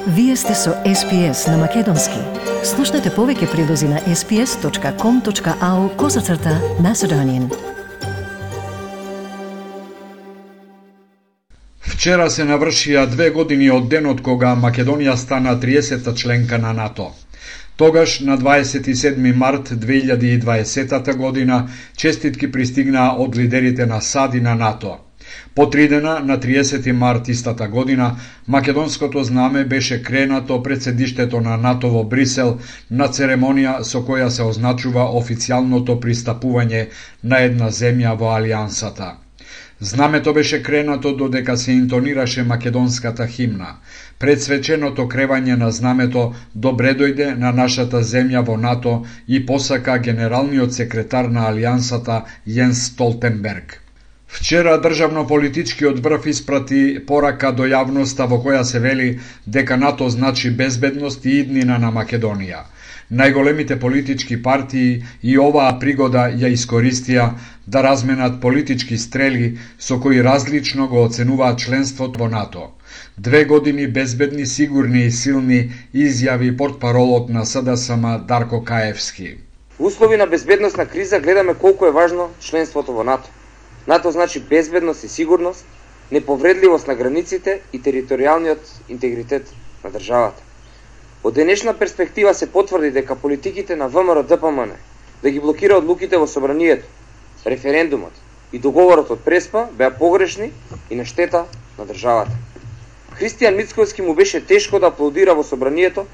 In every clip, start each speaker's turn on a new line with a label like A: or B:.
A: Вие сте со SPS на Македонски. Слушнете повеќе прилози на sps.com.au/Macedonian.
B: Вчера се навршија 2 години од денот кога Македонија стана 30-та членка на НАТО. Тогаш, на 27 март 2020 година, честитки пристигнаа од лидерите на САД и на НАТО. По 3 дена, на 30 март истата година, македонското знаме беше кренато пред седиштето на НАТО во Брисел на церемонија со која се означува официјалното пристапување на една земја во Алијансата. Знамето беше кренато додека се интонираше македонската химна. Пред свеченото кревање на знамето добре дојде на нашата земја во НАТО и посака генералниот секретар на Алијансата Јенс Столтенберг. Вчера државно-политичкиот врв испрати порака до јавноста во која се вели дека НАТО значи безбедност и иднина на Македонија. Најголемите политички партии и оваа пригода ја искористија да разменат политички стрели со кои различно го оценуваат членството во НАТО. 2 години безбедни, сигурни и силни, изјави портпаролот на СДСМ Дарко Каевски.
C: В услови на безбедносна криза гледаме колку е важно членството во НАТО. НАТО значи безбедност и сигурност, неповредливост на границите и територијалниот интегритет на државата. Од денешна перспектива се потврди дека политиките на ВМРО-ДПМН да ги блокира одлуките во собранието, референдумот и договорот од Преспа беа погрешни и на штета на државата. Христијан Мицковски му беше тешко да аплодира во собранието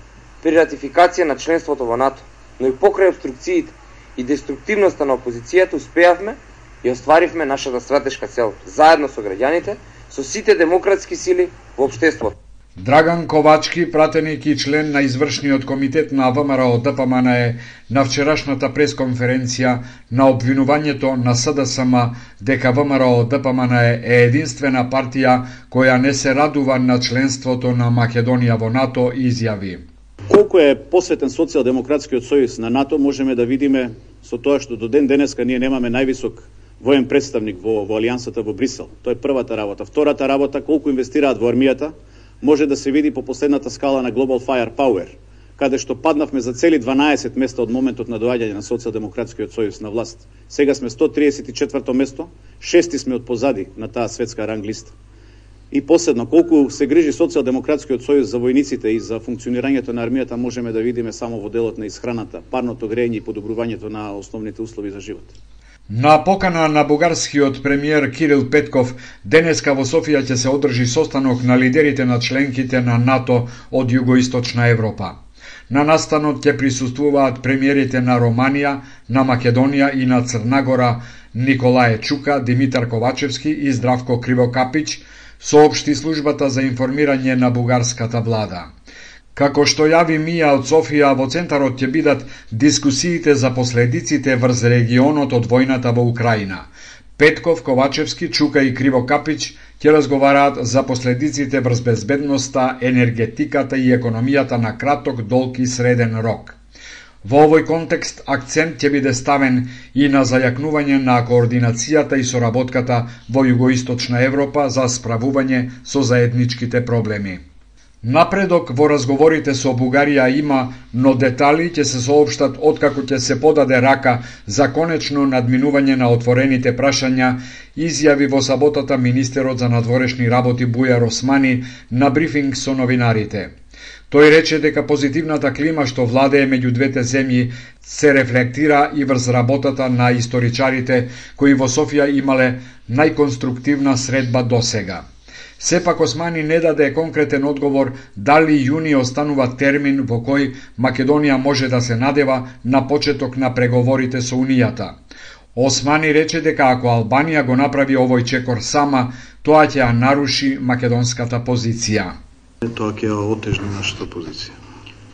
C: при ратификација на членството во НАТО, но и покрај обструкциите и деструктивноста на опозицијата успеавме и остваривме нашата стратешка цел, заедно со граѓаните, со сите демократски сили во општеството.
B: Драган Ковачки, пратеник и член на извршниот комитет на ВМРО-ДПМН на вчерашната пресконференција на обвинувањето на СДСМ дека ВМРО-ДПМН е единствена партија која не се радува на членството на Македонија во НАТО, изјави.
D: Колку е посветен Социјалдемократскиот сојуз на НАТО можеме да видиме со тоа што до ден денеска ние немаме највисок воен представник во Алијансата во Брисел. Тоа е првата работа. Втората работа, колку инвестираат во армијата, може да се види по последната скала на Global Firepower, каде што паднавме за цели 12 места од моментот на доаѓање на Социјалдемократскиот сојуз на власт. Сега сме 134 место, 6 сме од позади на таа светска ранг листа. И последно, колку се грижи Социјалдемократскиот сојуз за војниците и за функционирањето на армијата, можеме да видиме само во делот на исхраната, парното грејење и подобрувањето на основните услови за живот.
B: На покана на бугарскиот премиер Кирил Петков, денеска во Софија ќе се одржи состанок на лидерите на членките на НАТО од Југоисточна Европа. На настанот ќе присуствуваат премиерите на Романија, на Македонија и на Црна Николај Чука, Димитар Ковачевски и Здравко Кривокапич, соопшти службата за информирање на бугарската влада. Како што јави Мија од Софија, во центарот ќе бидат дискусиите за последиците врз регионот од војната во Украина. Петков, Ковачевски, Чука и Кривокапич ќе разговараат за последиците врз безбедноста, енергетиката и економијата на краток, долг и среден рок. Во овој контекст акцент ќе биде ставен и на зајакнување на координацијата и соработката во Југоисточна Европа за справување со заедничките проблеми. Напредок во разговорите со Бугарија има, но детали ќе се соопштат откако ќе се подаде рака за конечно надминување на отворените прашања, изјави во саботата министерот за надворешни работи Бујар Османи на брифинг со новинарите. Тој рече дека позитивната клима што владее меѓу двете земји се рефлектира и врз работата на историчарите кои во Софија имале најконструктивна средба досега. Сепак Османи не даде конкретен одговор дали јуни останува термин во кој Македонија може да се надева на почеток на преговорите со Унијата. Османи рече дека ако Албанија го направи овој чекор сама, тоа ќе ја наруши македонската позиција.
E: Тоа ќе ја отежни нашата позиција.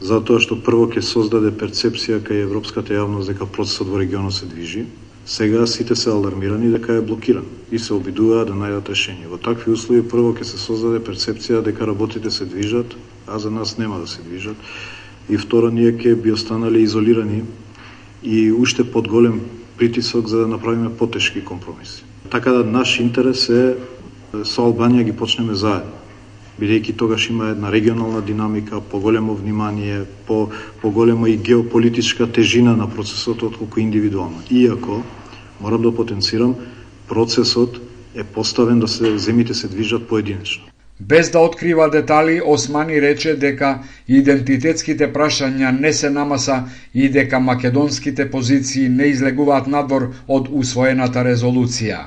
E: Затоа што прво ќе создаде перцепција кај европската јавност дека процесот во регионот се движи. Сега сите се алармирани дека е блокиран и се обидуваат да најдат решение. Во такви услови прво ќе се создаде перцепција дека работите се движат, а за нас нема да се движат. И второ, ние ќе би останали изолирани и уште под голем притисок за да направиме потешки компромиси. Така да наш интерес е со Албанија ги почнеме заедно. бидејќи тогаш има една регионална динамика, поголемо внимание, поголема и геополитичка тежина на процесот отколку индивидуално. Иако, морам да потенцирам, процесот е поставен да земите се движат поединечно.
B: Без да открива детали, Османи рече дека идентитетските прашања не се намаса и дека македонските позиции не излегуваат надвор од усвоената резолуција.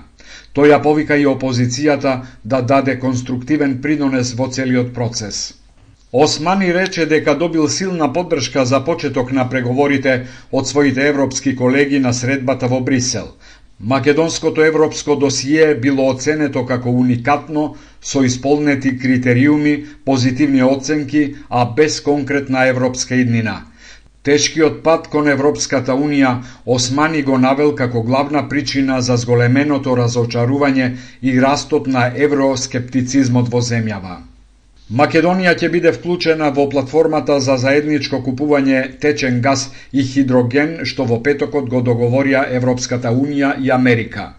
B: Тој ја повика и опозицијата да даде конструктивен принос во целиот процес. Османи рече дека добил силна поддршка за почеток на преговорите од своите европски колеги на средбата во Брисел. Македонското европско досие било оценето како уникатно, со исполнети критериуми, позитивни оценки, а без конкретна европска иднина. Тешкиот пат кон Европската Унија Османи го навел како главна причина за зголеменото разочарување и растот на евроскептицизмот во земјава. Македонија ќе биде вклучена во платформата за заедничко купување течен газ и хидроген, што во петокот го договорија Европската Унија и Америка.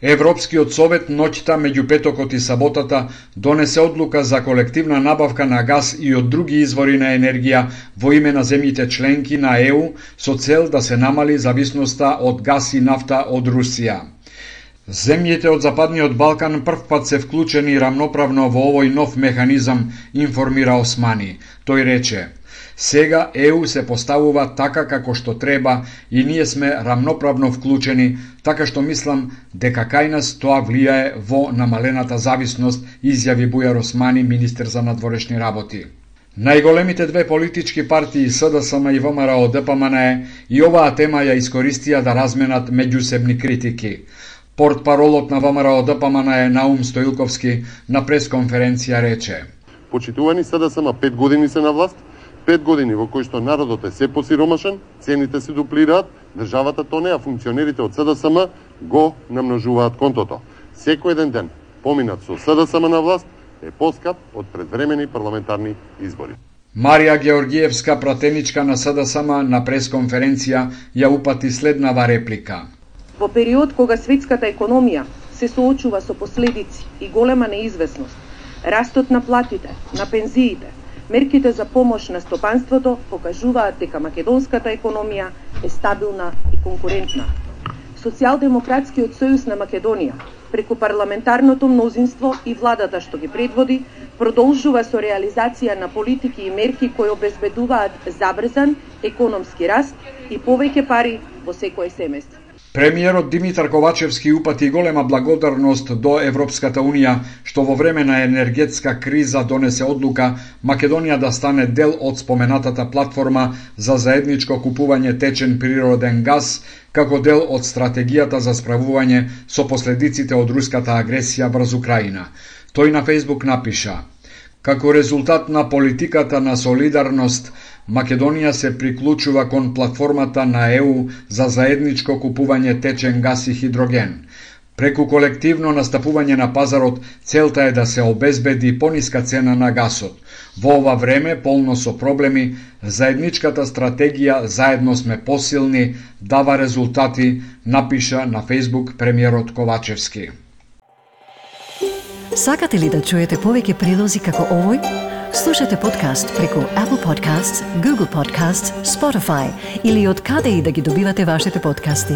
B: Европскиот совет ноќта меѓу петокот и саботата донесе одлука за колективна набавка на газ и од други извори на енергија во име на земјите членки на ЕУ со цел да се намали зависноста од газ и нафта од Русија. Земјите од Западниот Балкан првпат се вклучени рамноправно во овој нов механизам, информира Османи. Тој рече: сега ЕУ се поставува така како што треба и ние сме рамноправно вклучени, така што мислам дека кај нас тоа влијае во намалената зависност, изјави Бујар Османи, министер за надворешни работи. Најголемите две политички партии СДСМ и ВМРО ДПМН и оваа тема ја искористија да разменат меѓусебни критики. Портпаролот на ВМРО ДПМН Наум Стоилковски на пресконференција рече:
F: почитувани СДСМ 5 години се на власт, 5 години во кои што народот е се посиромашен, цените се дуплираат, државата тоне, а функционерите од СДСМ го намножуваат контото. Секој еден ден поминат со СДСМ на власт е поскап од предвремени парламентарни избори.
B: Марија Георгиевска, пратеничка на СДСМ, на пресконференција ја упати следнава реплика.
G: Во период кога светската економија се соочува со последици и голема неизвестност, растот на платите, на пензиите, мерките за помош на стопанството покажуваат дека македонската економија е стабилна и конкурентна. Социјалдемократскиот сојуз на Македонија, преку парламентарното мнозинство и владата што ги предводи, продолжува со реализација на политики и мерки кои обезбедуваат забрзан економски раст и повеќе пари во секое семејство.
B: Премиерот Димитар Ковачевски упати голема благодарност до Европската Унија, што во време на енергетска криза донесе одлука Македонија да стане дел од споменатата платформа за заедничко купување течен природен газ, како дел од стратегијата за справување со последиците од руската агресија врз Украина. Тој на Фејсбук напиша: како резултат на политиката на солидарност, Македонија се приклучува кон платформата на ЕУ за заедничко купување течен газ и хидроген. Преку колективно настапување на пазарот, целта е да се обезбеди пониска цена на гасот. Во ова време, полно со проблеми, заедничката стратегија "Заедно сме посилни" дава резултати, напиша на Фејсбук премиерот Ковачевски.
A: Сакате ли да чуете повеќе прилози како овој? Слушате подкаст преку Apple Podcasts, Google Podcasts, Spotify или од каде и да ги добивате вашите подкасти.